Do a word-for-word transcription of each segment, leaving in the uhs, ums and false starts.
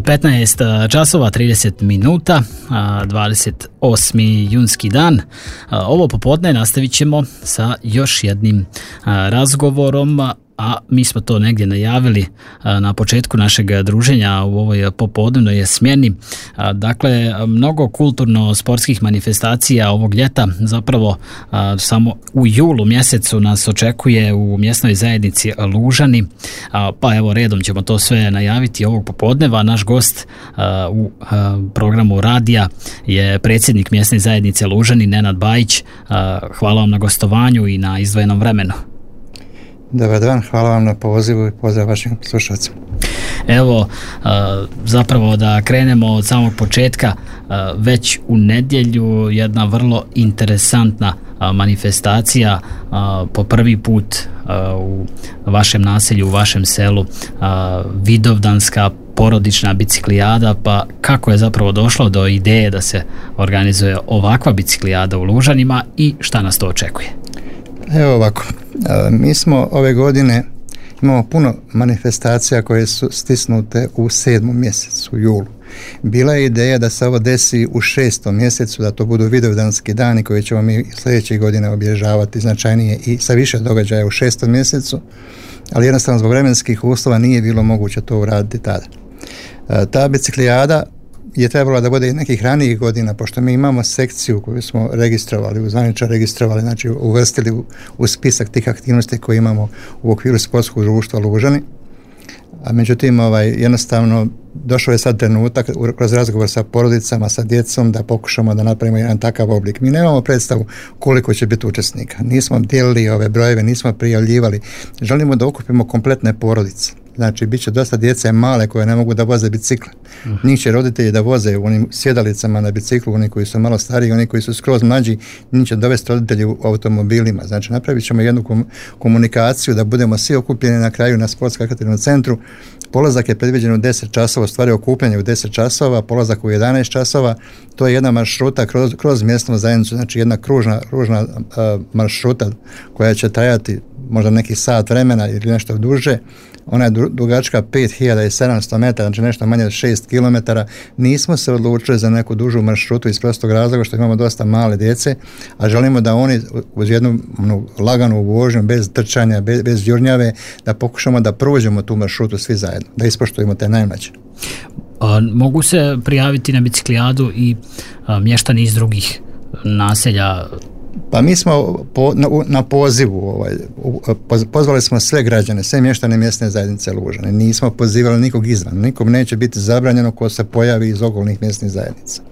petnaest časova trideset minuta, dvadeset osmi junski dan. Ovo popodne nastavit ćemo sa još jednim razgovorom, a mi smo to negdje najavili na početku našeg druženja u ovoj popodnevnoj smjeni. Dakle, mnogo kulturno-sportskih manifestacija ovog ljeta, zapravo samo u julu mjesecu nas očekuje u mjesnoj zajednici Lužani, pa evo redom ćemo to sve najaviti ovog popodneva. Naš gost u programu radija je predsjednik mjesne zajednice Lužani, Nenad Bajić. Hvala vam na gostovanju i na izdvojenom vremenu. Dobar dan, hvala vam na pozivu i pozdrav vašim slušalcima. Evo, zapravo da krenemo od samog početka, već u nedjelju jedna vrlo interesantna manifestacija, po prvi put u vašem naselju, u vašem selu, Vidovdanska porodična biciklijada. Pa kako je zapravo došlo do ideje da se organizuje ovakva biciklijada u Lužanima i šta nas to očekuje? Evo ovako, mi smo ove godine imamo puno manifestacija koje su stisnute u sedmom mjesecu, u julu. Bila je ideja da se ovo desi u šestom mjesecu, da to budu Vidovdanski dani koji ćemo mi sljedeće godine obilježavati značajnije i sa više događaja u šestom mjesecu, ali jednostavno zbog vremenskih uslova nije bilo moguće to uraditi tada. Ta biciklijada je trebalo da bude i nekih ranijih godina, pošto mi imamo sekciju koju smo registrovali, uzvanično registrovali, znači uvrstili u, u spisak tih aktivnosti koje imamo u okviru sportskog društva Lužani. A međutim, ovaj, jednostavno došao je sad trenutak kroz razgovor sa porodicama, sa djecom, da pokušamo da napravimo jedan takav oblik. Mi nemamo predstavu koliko će biti učesnika. Nismo dijelili ove brojeve, nismo prijavljivali. Želimo da okupimo kompletne porodice. Znači, bit će dosta djece male koje ne mogu da voze bicikle. Uh-huh. Njih će roditelji da voze u onim sjedalicama na biciklu, oni koji su malo stariji, oni koji su skroz mlađi, njih će dovesti roditelji u automobilima. Znači, napravit ćemo jednu kom- komunikaciju da budemo svi okupljeni na kraju na sportsko-rekreativnom centru. Polazak je predviđen u deset časova, stvari okupljanje u deset časova, polazak u jedanaest časova. To je jedna maršruta kroz, kroz mjesnu zajednicu, znači jedna kružna, kružna uh, maršruta koja će trajati možda neki sat vremena ili nešto duže. Ona je dugačka pet hiljada sedamsto metara, znači nešto manje od šest kilometara. Nismo se odlučili za neku dužu maršrutu iz prostog razloga što imamo dosta male djece, a želimo da oni uz jednu ono, laganu vožnju, bez trčanja, bez, bez jurnjave, da pokušamo da prođemo tu maršrutu svi zajedno, da ispoštujemo te najmlađe. A, mogu se prijaviti na biciklijadu i a, mještani iz drugih naselja? Pa mi smo po, na, na pozivu ovaj, pozvali smo sve građane, sve mještane mjesne zajednice Lužane. Nismo pozivali nikog izvan. Nikom neće biti zabranjeno ko se pojavi iz okolnih mjesnih zajednica.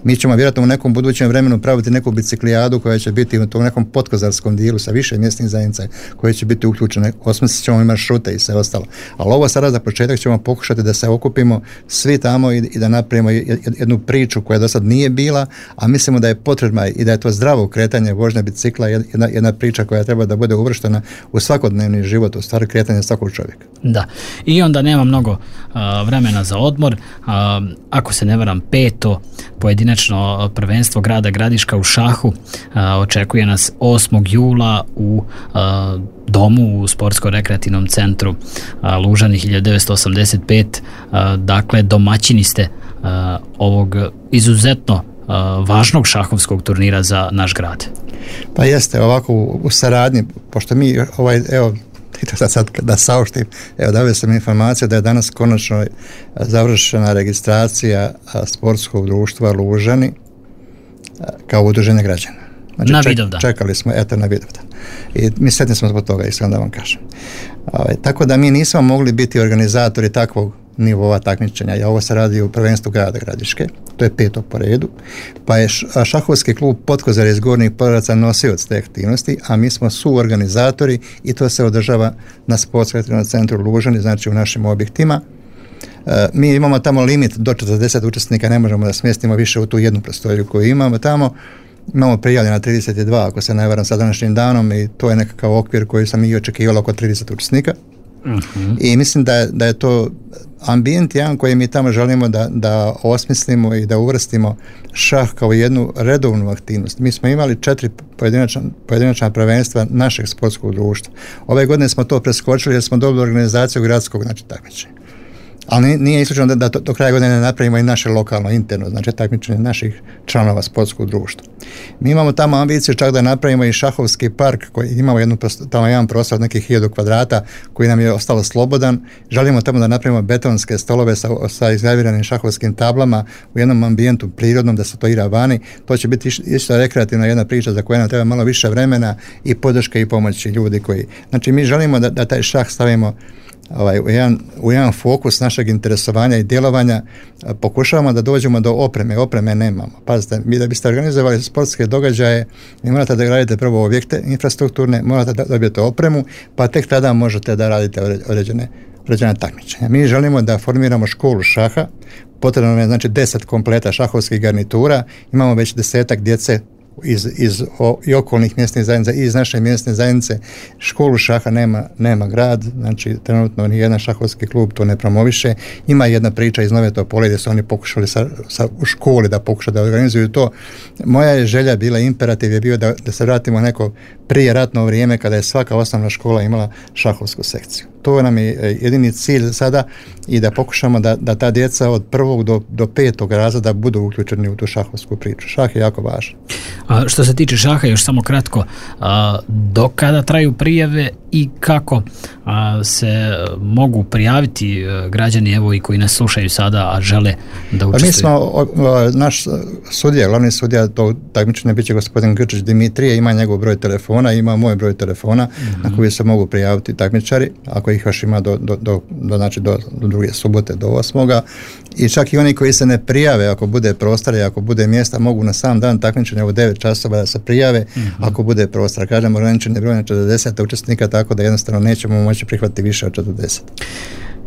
Mi ćemo vjerojatno u nekom budućem vremenu praviti neku biciklijadu koja će biti u tom nekom potkozarskom dijelu sa više mjesnih zajednica koje će biti uključene. Osmislit ćemo i maršrute i sve ostalo. Ali ovo sada za početak ćemo pokušati da se okupimo svi tamo i, i da napravimo jednu priču koja do sad nije bila, a mislimo da je potrebna i da je to zdravo kretanje vožnja bicikla, jedna, jedna priča koja treba da bude uvrštena u svakodnevni život, u stvari kretanje svakog čovjeka. Da, i onda nema mnogo uh, vremena za odmor. Uh, ako se ne varam, peto pojedinačno prvenstvo grada Gradiška u šahu uh, očekuje nas osmog jula u uh, domu u sportsko-rekreativnom centru uh, Lužani hiljadu devetsto osamdeset pet. Uh, dakle, domaćini ste uh, ovog izuzetno uh, važnog šahovskog turnira za naš grad. Pa jeste, ovako u, u saradnji, pošto mi, ovaj, evo, sad, sad da saopštim, evo, davio sam informaciju da je danas konačno završena registracija sportskog društva Lužani kao udruženje građana. Znači, na Vidovdan. Ček, čekali smo, eto, na Vidovdan. I mi sretni smo zbog toga, iskreno da vam kažem. Ovaj, tako da mi nismo mogli biti organizatori takvog nivoa takmičenja. Ja, ovo se radi u prvenstvu grada Gradiške, to je peto po redu, pa je šahovski klub Potkozar iz Gornjih Podaraca nosioc te aktivnosti, a mi smo suorganizatori i to se održava na sportsko-rekreativnom centru Lužani, znači u našim objektima. E, mi imamo tamo limit do četrdeset učesnika, ne možemo da smjestimo više u tu jednu prostoriju koju imamo tamo. Imamo prijavljena trideset dva, ako se ne varam, sa današnjim danom, i to je nekakav okvir koji sam i očekivalo oko trideset učesnika. Uh-huh. I mislim da je, da je to ambijent jedan koji mi tamo želimo da, da osmislimo i da uvrstimo šah kao jednu redovnu aktivnost. Mi smo imali četiri pojedinačna, pojedinačna prvenstva našeg sportskog društva. Ove godine smo to preskočili jer smo dobili organizaciju gradskog, znači takmičenja. ali nije isključeno da, da to, do kraja godine napravimo i naše lokalno, interno, znači takmičenje naših članova sportskog društva. Mi imamo tamo ambiciju čak da napravimo i šahovski park koji imamo jednu, tamo jedan prostor od nekih hiljadu kvadrata koji nam je ostalo slobodan. Želimo tamo da napravimo betonske stolove sa, sa izgraviranim šahovskim tablama u jednom ambijentu prirodnom, da se to igra vani. To će biti isto rekreativna jedna priča za koju nam treba malo više vremena i podrške i pomoći ljudi koji... Znači mi želimo da, da taj šah stavimo Ovaj, u, jedan, u jedan fokus našeg interesovanja i djelovanja. Pokušavamo da dođemo do opreme, opreme nemamo. Pazite, vi da biste organizovali sportske događaje, vi morate da gradite prvo objekte infrastrukturne, morate da dobijete opremu, pa tek tada možete da radite određene, određene takmičenja. Mi želimo da formiramo školu šaha, potrebno je znači deset kompleta šahovskih garnitura, imamo već desetak djece iz, iz o, i okolnih mjesnih zajednica i iz naše mjesne zajednice. Školu šaha nema, nema grad, znači trenutno ni jedan šahovski klub to ne promoviše. Ima jedna priča iz Nove Topole gdje su oni pokušali sa, sa, u školi da pokušaju da organizuju to. Moja je želja bila, imperativ je bio da, da se vratimo neko prije ratno vrijeme kada je svaka osnovna škola imala šahovsku sekciju. To nam je jedini cilj sada i da pokušamo da, da ta djeca od prvog do, do petog razreda budu uključeni u tu šahovsku priču. Šah je jako važan. A što se tiče šaha, još samo kratko, a, do kada traju prijave i kako a, se mogu prijaviti građani evo i koji nas slušaju sada, a žele da učestvuju? Mi smo, o, o, naš sudija, glavni sudija to takmičenje bit će gospodin Grčić Dimitrije, ima njegov broj telefona, ima moj broj telefona mm-hmm. na koji se mogu prijaviti takmičari, ako ih još ima do, do, do, do, znači do, do druge subote, do osmoga. I čak i oni koji se ne prijave, ako bude prostora i ako bude mjesta, mogu na sam dan takmičenja u devet časova da se prijave, mm-hmm. ako bude prostora. Kažemo, ograničen je broj na četrdeset učesnika, tako da jednostavno nećemo moći prihvatiti više od četrdeset.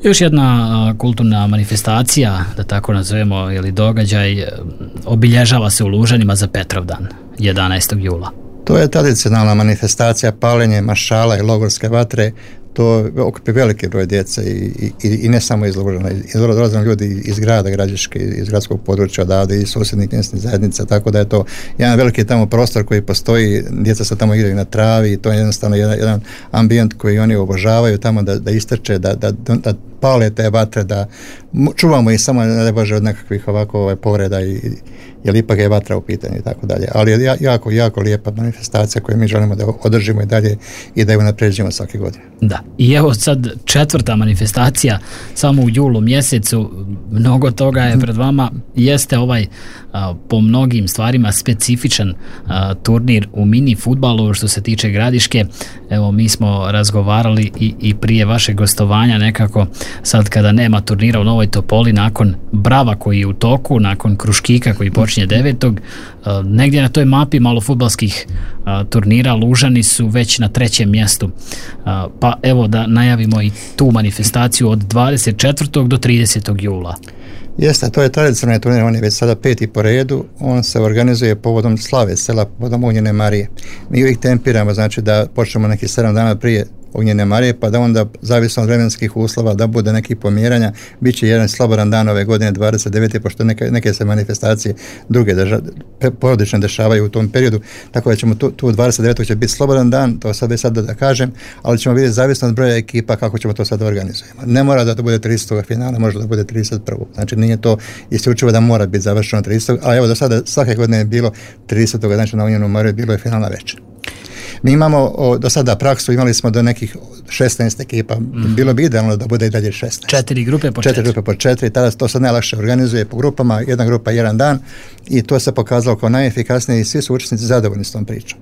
Još jedna a, kulturna manifestacija, da tako nazovemo, ili događaj, obilježava se u Lužanima za Petrovdan, jedanaestog jula. To je tradicionalna manifestacija, paljenje mašala i logorske vatre. To okupi veliki broj djece i, i, i ne samo iz Lužana, dolaze ljudi iz grada Gradiške, iz gradskog područja odavde i susjednih mjesnih zajednica, tako da je to jedan veliki tamo prostor koji postoji, djeca se tamo igraju na travi i to je jednostavno jedan, jedan ambijent koji oni obožavaju tamo da, da istrče, da, da, da pale te vatre, da čuvamo ih samo, ne bože, od nekakvih ovako ovaj, povreda i jer ipak je vatra u pitanju i tako dalje. Ali je jako, jako lijepa manifestacija koju mi želimo da održimo i dalje i da ju napređujemo svake godine. Da, i evo sad četvrta manifestacija samo u julu mjesecu, mnogo toga je pred vama, jeste ovaj a, po mnogim stvarima specifičan a, turnir u mini fudbalu što se tiče Gradiške. Evo mi smo razgovarali i, i prije vašeg gostovanja nekako sad kada nema turnira u Novoj Topoli, nakon Brava koji je u toku, nakon Kruškika koji počinje devetog, negdje na toj mapi malofudbalskih turnira Lužani su već na trećem mjestu. Pa evo da najavimo i tu manifestaciju od dvadeset četvrtog do tridesetog jula. Jeste, to je tradicionalni turnir, on je već sada peti po redu, on se organizuje povodom slave sela, povodom Ognjene Marije. Mi uvijek tempiramo, znači da počnemo neki sedam dana prije Ognjene Marije, pa da onda, zavisno od vremenskih uslova, da bude nekih pomjeranja. Biće jedan slobodan dan ove godine, dvadeset devete pošto neke, neke se manifestacije druge drža, porodične dešavaju u tom periodu, tako da ćemo tu, tu dvadeset devetog će biti slobodan dan, to sad već sad da, da kažem, ali ćemo vidjeti zavisno od broja ekipa kako ćemo to sad organizujemo. Ne mora da to bude tridesetog finala, može da bude trideset prvog Znači nije to isključivo da mora biti završeno tridesetog ali evo do sada svake godine je bilo tridesetog znači na Ognjenu Mariju bilo je finalna večer. Mi imamo o, do sada praksu, imali smo do nekih šesnaest ekipa, mm. bilo bi idealno da bude i dalje šesnaest. Četiri grupe po četiri. četiri. grupe po četiri, tada to se najlakše organizuje po grupama, jedna grupa jedan dan i to se pokazalo kao najefikasnije i svi su učesnici zadovoljni s tom pričom.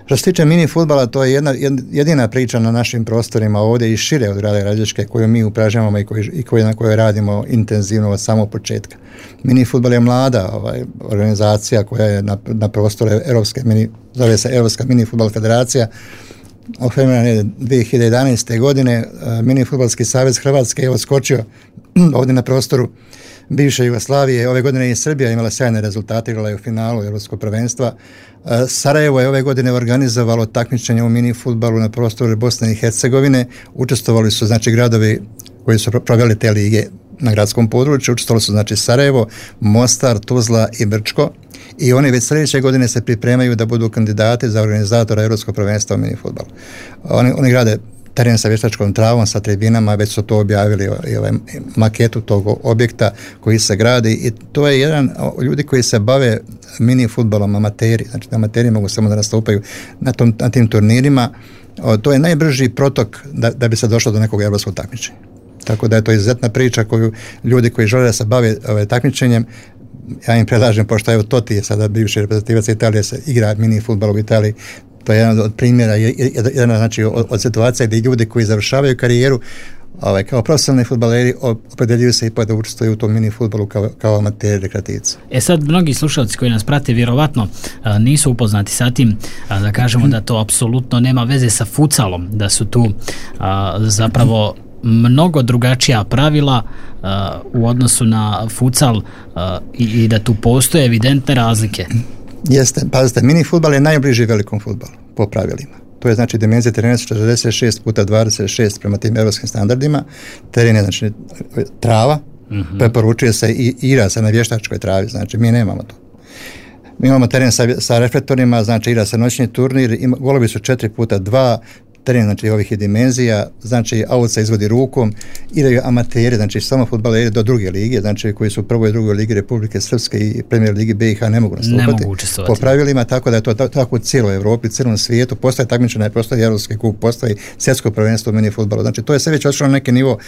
Što se tiče mini fudbala, to je jedna, jedina priča na našim prostorima ovdje i šire od grada Gradiške koju mi upražnjavamo i, koji, i koji, na kojoj radimo intenzivno od samog početka. Mini fudbal je mlada ovaj, organizacija koja je na, na prostoru Europske mini, zove se Europska mini fudbal federacija. Oformljena je dvije hiljade jedanaeste. godine. Mini fudbalski savez Hrvatske je odskočio ovdje na prostoru bivše Jugoslavije. Ove godine je i Srbija imala sjajne rezultate, igrala je u finalu Europskog prvenstva. Sarajevo je ove godine organizovalo takmičenje u mini fudbalu na prostoru Bosne i Hercegovine. Učestvovali su znači gradovi koji su proveli te lige na gradskom području. Učestvovali su znači Sarajevo, Mostar, Tuzla i Brčko. I oni već sljedeće godine se pripremaju da budu kandidati za organizatora Europskog prvenstva u mini fudbalu. Oni, oni grade teren sa vještačkom travom, sa tribinama, već su to objavili i ovaj maketu tog objekta koji se gradi i to je jedan ljudi koji se bave mini fudbalom, amateri, znači amateri mogu samo da nastupaju na, tom, na tim turnirima. O, to je najbrži protok da, da bi se došlo do nekog europskog takmičenja. Tako da je to izuzetna priča koju ljudi koji žele da se bave ovaj, takmičenjem, ja im predlažem, pošto evo Totti je sada bivši reprezentativac Italije, se igra mini fudbal u Italiji, to je jedan od primjera, jedna znači od, od situacija gdje ljudi koji završavaju karijeru ovaj, kao profesionalni fudbaleri opredeljuju se i da učestvuju u tom mini fudbalu kao, kao amateri rekreativci. E sad, mnogi slušalci koji nas prate vjerovatno a, nisu upoznati sa tim, a, da kažemo da to apsolutno nema veze sa futsalom, da su tu a, zapravo mnogo drugačija pravila uh, u odnosu na futsal uh, i, i da tu postoje evidentne razlike. Jeste, pazite, mini fudbal je najbliži velikom fudbalu po pravilima. To je znači dimenzija terena četrdeset šest puta dvadeset šest prema tim evropskim standardima. Teren je znači trava, uh-huh. preporučuje se i igra se na vještačkoj travi, znači mi nemamo to. Mi imamo teren sa, sa reflektorima, znači igra se noćni turnir, ima, golovi su četiri puta dva, teren znači ovih dimenzija, znači aut se izvodi rukom, igraju amateri, znači samo fudbaleri do druge lige, znači koji su u prvoj i drugoj ligi Republike Srpske i Premier ligi B i H ne mogu nastupati. Ne mogu učestvovati. Po pravilima, tako da je to tako u cijeloj Europi, u cijelom svijetu, postoje takmičenja, postoji Europski kup, postoji svjetsko prvenstvo u mini fudbalu. Znači to je sve već otišlo na neki nivo.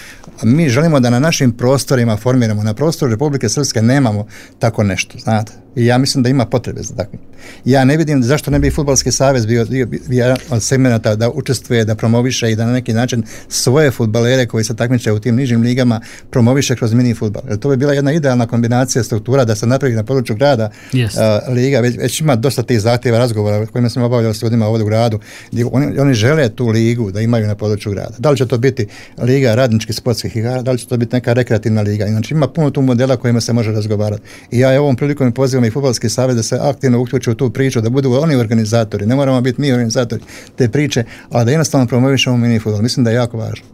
Mi želimo da na našim prostorima formiramo, na prostoru Republike Srpske nemamo tako nešto, znate. I ja mislim da ima potrebe za takvim. Ja ne vidim zašto ne bi Fudbalski savez bio, bio, bio od segmenta da učestvuje, da promoviše i da na neki način svoje fudbalere koji se takmiče u tim nižim ligama promoviše kroz mini fudbal. Jer to bi bila jedna idealna kombinacija struktura da se napravi na području grada yes. uh, liga. Već, već ima dosta tih zahtjeva razgovora kojima smo obavljali s ljudima ovdje u gradu. Gdje oni, oni žele tu ligu da imaju na području grada. Da li će to biti liga radničkih sportskih igara, da li će to biti neka rekreativna liga. Znači ima puno tu modela kojima se može razgovarati. I ja ovom prilikom pozivam i Fudbalski savez da se aktivno uključe u tu priču, da budu oni organizatori, ne moramo biti mi organizatori te priče, ali da jednostavno promovišemo mini fudbal. Mislim da je jako važno.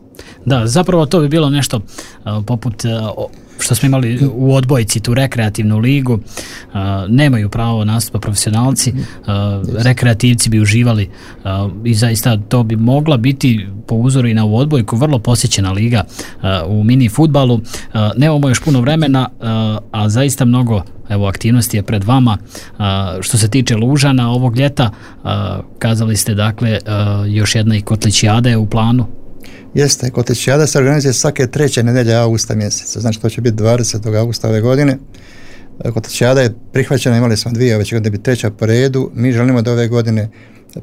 Da, zapravo to bi bilo nešto uh, poput uh, što smo imali u odbojci, tu rekreativnu ligu, uh, nemaju pravo nastupa profesionalci, uh, rekreativci bi uživali uh, i zaista to bi mogla biti po uzoru i na ovu odbojku vrlo posjećena liga uh, u mini fudbalu. Uh, nemamo još puno vremena, uh, a zaista mnogo evo aktivnosti je pred vama. Uh, što se tiče Lužana ovog ljeta, uh, kazali ste dakle uh, još jedna i Kotlićijada je u planu. Jeste, Kotlićijada se organizuje svake treće nedelje augusta mjeseca, znači to će biti dvadesetog augusta ove godine. Kotlićijada je prihvaćena, imali smo dvije, već godine biti treća po redu. Mi želimo da ove godine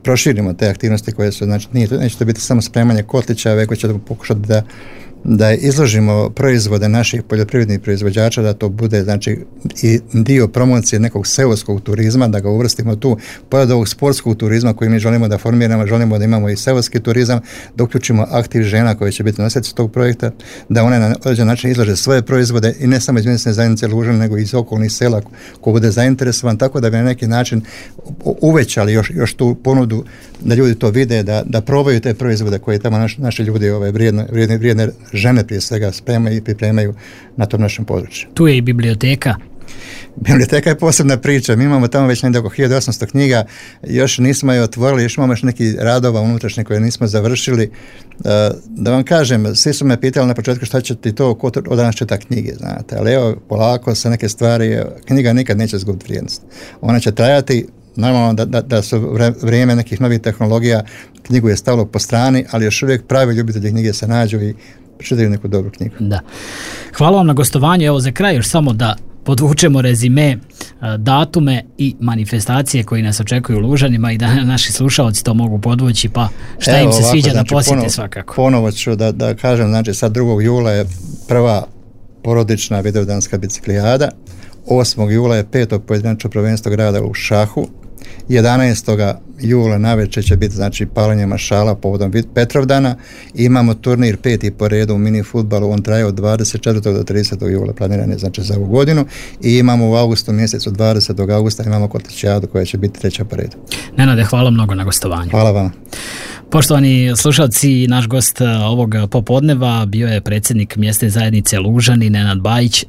proširimo te aktivnosti koje su, znači nije, neće to biti samo spremanje kotlića, već ćemo pokušati da da izložimo proizvode naših poljoprivrednih proizvođača, da to bude znači i dio promocije nekog seoskog turizma, da ga uvrstimo tu, pored ovog sportskog turizma koji mi želimo da formiramo, želimo da imamo i seoski turizam, da uključimo aktiv žena koje će biti nosioci tog projekta, da one na određen način izlože svoje proizvode i ne samo iz mjesne zajednice Lužan, nego iz okolnih sela ko bude zainteresovan, tako da bi na neki način uvećali još, još tu ponudu, da ljudi to vide, da, da probaju te proizvode koje tamo naš, naši ljudi ove vrijedne, vrijedne, vrijedne žene prije svega spremaju i pripremaju na tom našem području. Tu je i biblioteka. Biblioteka je posebna priča. Mi imamo tamo već negdje oko hiljadu osamsto knjiga, još nismo je otvorili, još imamo još neki radova unutrašnje koje nismo završili. Da vam kažem, svi su me pitali na početku šta će ti to, ko od danas čita knjige, znate, ali evo, polako se neke stvari, knjiga nikad neće izgubiti vrijednost. Ona će trajati, normalno da, da, da su vrijeme nekih novih tehnologija, knjigu je stavilo po strani, ali još uvijek pravi ljubitelji knjige se nađu i čitaju neku dobru knjigu. Da. Hvala vam na gostovanju. Evo za kraj još samo da podvučemo rezime, datume i manifestacije koji nas očekuju u Lužanima i da naši slušalci to mogu podvući, pa šta Evo, im se ovako, sviđa znači, da posjete ponovo, svakako. Ponovo ću da, da kažem, znači sad drugog jula je prva porodična vidovdanska biciklijada, osmog jula je peto pojedinačno prvenstvo grada u šahu, jedanaestog jula navečer će biti znači palanje mašala povodom Petrovdana i imamo turnir peti po redu u mini fudbalu, on traje od dvadeset četvrtog do tridesetog jula, planiran je znači za ovu godinu i imamo u avgustu mjesecu dvadesetog augusta imamo Kotlićijadu koja će biti treća po redu. Nenade, hvala mnogo na gostovanju. Hvala vam. Poštovani slušalci, naš gost ovog popodneva bio je predsjednik mjesne zajednice Lužani Nenad Bajić.